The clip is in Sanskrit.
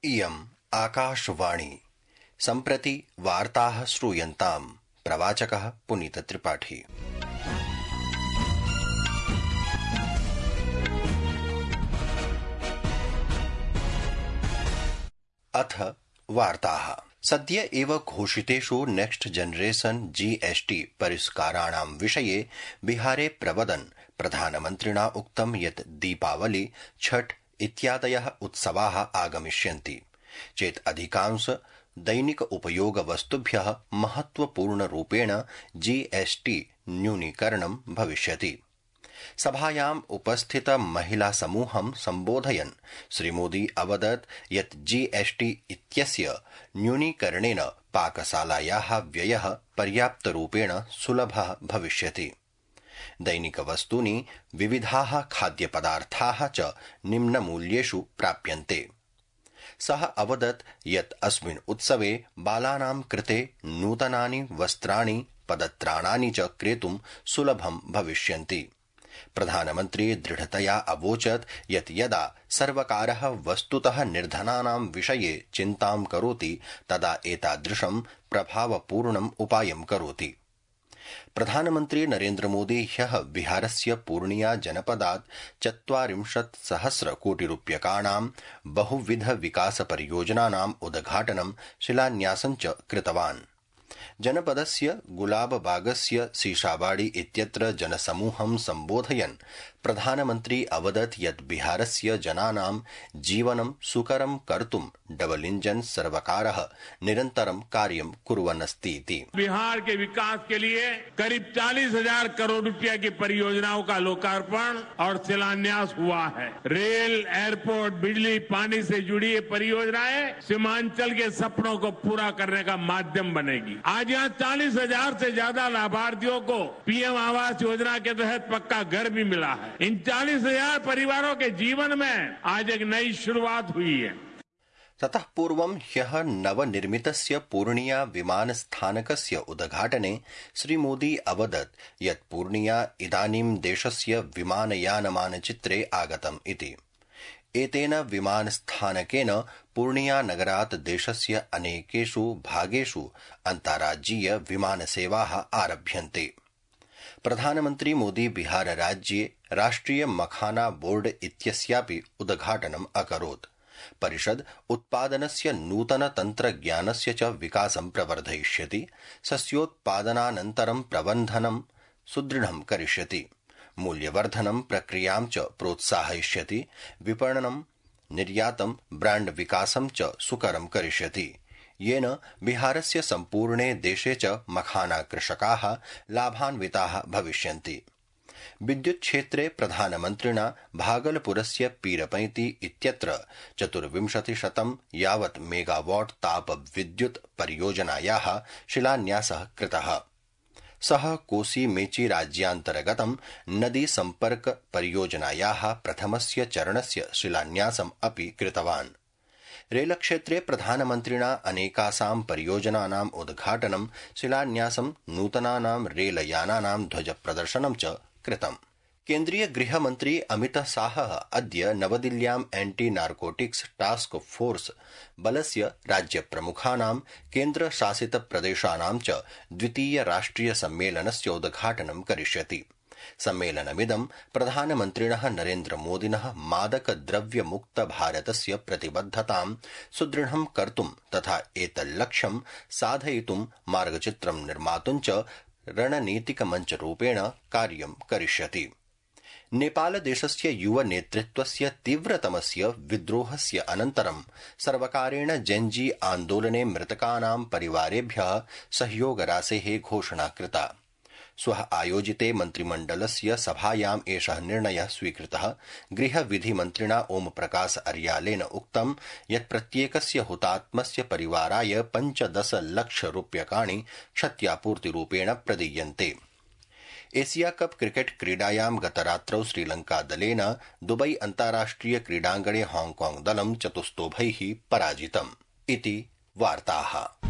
इयम् आकाशवाणी। सम्प्रति वार्ताः श्रूयन्ताम्। प्रवाचकः पुनीतत्रिपाठी। अथ वार्ताः। सद्य एव घोषितेषु नेक्स्ट जनरेशन GST परिष्काराणां विषये बिहारे प्रवदन् प्रधानमन्त्रिणा उक्तं यत् दीपावली, छठ इत्यादयः उत्सवाः आगमिष्यन्ति चेत् अधिकांश दैनिक उपयोग वस्तुभ्यः महत्वपूर्णरूपेण GST न्यूनीकरणं भविष्यति। सभायाम् उपस्थित महिला समूहं सम्बोधयन् श्रीमोदी अवदत् यत् GST इत्यस्य न्यूनीकरणेन पाकशालायाः व्ययः पर्याप्तरूपेण सुलभः भविष्यति। दैनिकवस्तूनि, विविधाः खाद्यपदार्थाः च निम्नमूल्येषु प्राप्यन्ते। सः अवदत् यत् अस्मिन् उत्सवे बालानां कृते नूतनानि वस्त्राणि, पदत्राणानि च क्रेतुं सुलभं भविष्यन्ति। प्रधानमन्त्री दृढतया अवोचत् यत् यदा सर्वकारः वस्तुतः निर्धनानां विषये चिन्तां करोति तदा एतादृशं प्रभावपूर्णम् उपायं करोति। प्रधानमन्त्री नरेन्द्रमोदी ह्यः बिहारस्य पूर्णिया जनपदात् 40,000 कोटिरूप्यकाणां बहुविध विकास परियोजनानाम् उद्घाटनं, शिलान्यासं च कृतवान्। जनपदस्य गुलाबबागस्य सीशाबाड़ी इत्यत्र जनसमूहं सम्बोधयन् प्रधानमन्त्री अवदत् यत् बिहारस्य जनानां जीवनं सुकरं कर्तुं डबल इंजन सर्वकारः निरन्तरं कार्यं कुर्वन् अस्ति। बिहार के विकास के लिए करीब 40,000 करोड़ रुपया की परियोजनाओं का लोकार्पण और शिलान्यास हुआ है। रेल, एयरपोर्ट, बिजली, पानी से जुड़ी ये परियोजनाएं सीमांचल के सपनों को पूरा करने का माध्यम बनेगी। आज यहाँ 40,000 से ज्यादा लाभार्थियों को PM आवास योजना के तहत पक्का घर भी मिला है। इन 40,000 परिवारों के जीवन में आज एक नई शुरुआत हुई है। ततः पूर्वं ह्यः नवनिर्मितस्य पूर्णिया विमानस्थानकस्य उद्घाटने श्रीमोदी अवदत् यत् पूर्णिया इदानीं देशस्य विमानयानमानचित्रे आगतम् इति। एतेन विमानस्थानकेन पूर्णिया नगरात् देशस्य अनेकेषु भागेषु अन्ताराज्यीय विमानसेवाः आरभ्यन्ते। प्रधानमन्त्री मोदी बिहार राज्ये राष्ट्रिय मखाना बोर्ड इत्यस्यापि उद्घाटनम् अकरोत्। परिषद् उत्पादनस्य नूतन तन्त्रज्ञानस्य च विकासं प्रवर्धयिष्यति, सस्योत्पादनानन्तरं प्रबन्धनं सुदृढं करिष्यति, मूल्यवर्धनं प्रक्रियां च प्रोत्साहयिष्यति, विपणनं, निर्यातं, ब्राण्ड विकासं च सुकरं करिष्यति, येन बिहारस्य सम्पूर्णे देशे च मखाना कृषकाः लाभान्विताः भविष्यन्ति। विद्युत् क्षेत्रे प्रधानमन्त्रिणा भागलपुरस्य पीरपैंती इत्यत्र 2400 यावत् मेगावाट् ताप विद्युत् परियोजनायाः शिलान्यासः कृतः। सः कोसी मेची राज्यान्तर्गतं नदी सम्पर्क परियोजनायाः प्रथमस्य चरणस्य शिलान्यासम् अपि कृतवान्। रेलक्षेत्रे प्रधानमन्त्रिणा अनेकासां परियोजनानाम् उद्घाटनं, शिलान्यासं, नूतनानां रेलयानानां ध्वजप्रदर्शनं च कृतम्। केन्द्रीय गृहमन्त्री अमित शाहः अद्य नवदिल्ल्याम् एंटी नार्कोटिक्स टास्क फोर्स बलस्य राज्यप्रमुखानां, केन्द्रशासितप्रदेशानां च द्वितीय राष्ट्रिय सम्मेलनस्य उद्घाटनं करिष्यति। सम्मेलनमिदं प्रधानमन्त्रिणः नरेन्द्रमोदिनः मादकद्रव्यमुक्त भारतस्य प्रतिबद्धतां सुदृढं कर्तुं तथा एतल्लक्ष्यं साधयितुं मार्गचित्रं निर्मातुं च रणनीतिकमञ्चरूपेण कार्यं करिष्यति। नेपालदेशस्य युव नेतृत्वस्य तीव्रतमस्य विद्रोहस्य अनन्तरं सर्वकारेण जेन्जी आन्दोलने मृतकानां परिवारेभ्यः सहयोगराशेः घोषणा कृता। श्वः आयोजिते मन्त्रिमण्डलस्य सभायाम् एषः निर्णयः स्वीकृतः। गृहविधिमन्त्रिणा ओम प्रकाश अर्यालेन उक्तं यत् प्रत्येकस्य हुतात्मस्य परिवाराय 15 लक्ष रूप्यकाणि क्षत्यापूर्तिरूपेण प्रदीयन्ते। एशिया कप क्रिकेट क्रीडायां गतरात्रौ श्रीलंकादलेन दुबई अन्ताराष्ट्रिय क्रीडाङ्गणे हांगकांग दलं 4-2 पराजितम् इति वार्ताः।